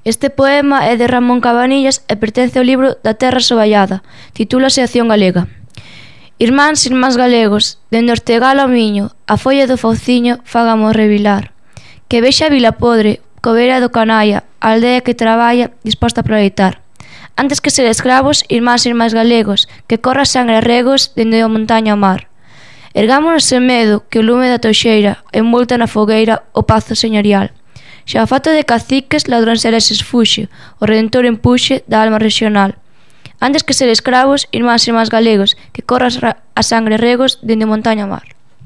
Este poema é de Ramón Cabanillas e pertence ao libro Da terra soballada. Titúlase Acción Galega. Irmáns galegos, dende Ortegal ao Miño, a folla do fauciño fágamos revilar. Que vexa a vila podre, cobeira do canalla, a aldea que traballa, disposta a proleitar. Antes que ser escravos, irmáns galegos, que corra sangre a regos dende a montaña ao mar. Ergámonos sen medo, que o lume da toxeira, envolta na fogueira, o pazo señorial. Xa a fato de caciques, ladróns ereses fuxe, o redentor empuxe da alma regional. Antes que ser escravos, irmáns galegos, que corras a sangre regos dende montaña ao mar.